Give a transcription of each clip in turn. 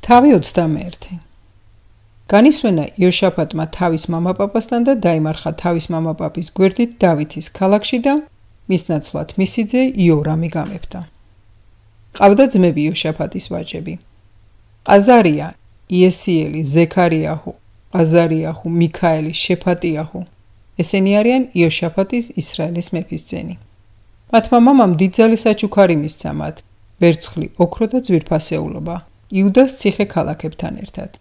თავი 21. განისვენა იოშაფატმა თავის მამაპაპასთან და დაიმარხა თავის მამაპაპის გვერდით დავითის ქალაქში და მის ნაცვლად მისი ძე იორამი გამეფდა. ყავდა ძმები იოშაფატის ვაჟები: ყაზარია, იესიელი, ზექარიაჰუ, ყაზარიაჰუ, მიქაელი, შეფატიაჰუ. ესენი არიან იოშაფატის ისრაელის მეფის ძენი. მათმა მამამ დიდძალი საჩუქარი მისცა მათ, ვერცხლი, ოქრო და ძვირფასეულობა, იუდას ციხე ქალაქებთან ერთად.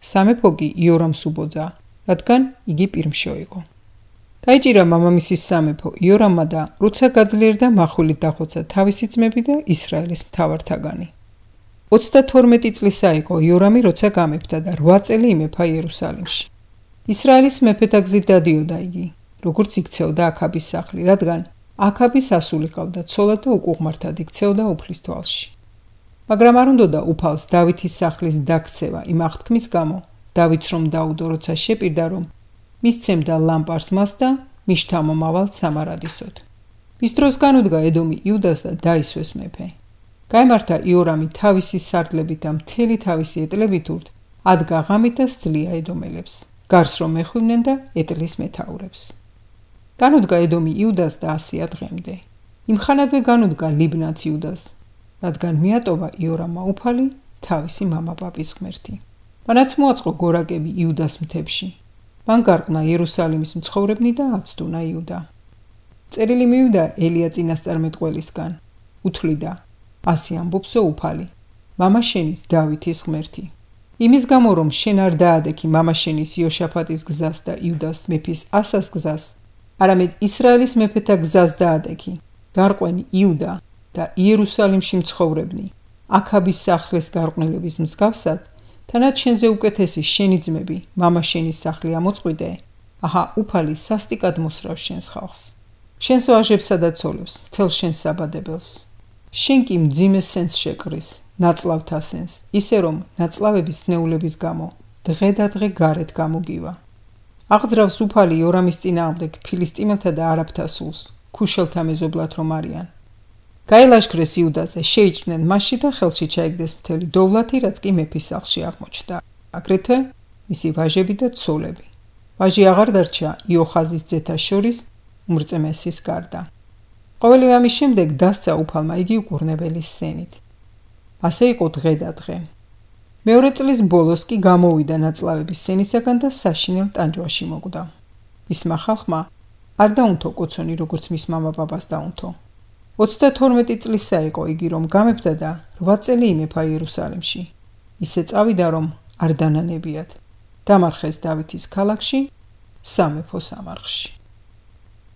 სამეფო კი იორამს უბოძა, რადგან იგი პირმშო იყო. დაიჭირა მამამისის სამეფო იორამმა და როცა გაძლიერდა מחვილით დახოცა თავისი ძმები და ისრაელის მთავართაგანი. 32 წლისა იყო იორამი, როცა გამეფდა და 8 წელი იმეფა იერუსალიმში. ისრაელის მეფეთა გზით დადიოდა იგი, როგორც იქცეოდა აქაბის სახლი, რადგან აქაბის ასული ყავდა ცოლად და უკუღმართად იქცეოდა უფლის თვალში. მაგრამ არ უნდოდა უფალს დავითის სახლის დაქცევა იმ აღთქმის გამო, დავითს რომ დაუდო, როცა შეპირდა, რომ მისცემდა ლამპარს მას და მის შთამომავალ სამარადისოდ. მის დროს განუდგა ედომი იუდას და დაისვეს მეფე. გაემართა იორამი თავისი სარდლებით და მთელი თავისი ეტლებით ურთ, ადგა ღამით და სძლია ედომელებს, გარს რომ ეხვივნენ და ეტლის მეთაურებს. განუდგა ედომი იუდას და 100 დღემდე. იმხანადვე განუდგა ლიბნაც იუდას, რადგან მიატოვა იორამმა უფალი თავისი მამაპაპის ღმერთი. მანაც მოაწყო გორაკები იუდას მთებში. მან გარყნა იერუსალიმის მცხოვრებნი და აცდუნა იუდა. წერილი მივიდა ელია წინასწარმეტყველისგან, უთვლიდა: ასე ამბობსო უფალი, მამაშენის დავითის ღმერთი. იმის გამო რომ შენ არ დაადექი მამაშენის იოშაფატის გზას და იუდას მეფის ასას გზას, არამედ ისრაელის მეფეთა გზას დაადექი, გარყვენი იუდა და იერუსალიმში მცხოვრებნი, აქაბის სახლის გარყვნილების მსგავსად, თანაც შენზე უკეთესი შენი ძმები, მამაშენის სახლი ამოწყვიდე, აჰა უფალი სასტიკად მოსრავს შენს ხალხს, შენს ვაჟებსა და ცოლებს, მთელ შენს საბადებელს. შენ კი მძიმე სენს შეკრის, ნაწლავთა სენს, ისე რომ ნაწლავების ნეულების გამო დღე და დღე გარეთ გამოგივა. აღძრავს უფალი იორამის წინააღმდეგ ფილისტიმელთა და არაბთა სულს, ქუშელთა მეზობლად რომ არიან. გაილაშქრეს იუდაზე, შეიჭრნენ მასში და ხელში ჩაიგდეს მთელი დოვლათი, რაც კი მეფის სახლში აღმოჩნდა, აგრეთვე მისი ვაჟები და ცოლები. ვაჟი აღარ დარჩა იოხაზის ძეთა შორის უმრწმესის გარდა. ყოველი ამის შემდეგ დასცა უფალმა იგი უკურნებელის სენით. ასე იყო დღე და დღე. მეორე წლის ბოლოს კი გამოვიდა ნაწლავების სენისაგან და საშინელ ტანჯვაში მოკვდა. მისმა ხალხმა არ დაუნთო კოცონი, როგორც მის მამაპაპას დაუნთო. 32 წლისა იყო იგი, რომ გამეფდა და 8 წელი იმეფა იერუსალიმში. ისე წავიდა, რომ არ დანანებიათ. დამარხეს დავითის ქალაქში, სამეფო სამარხში.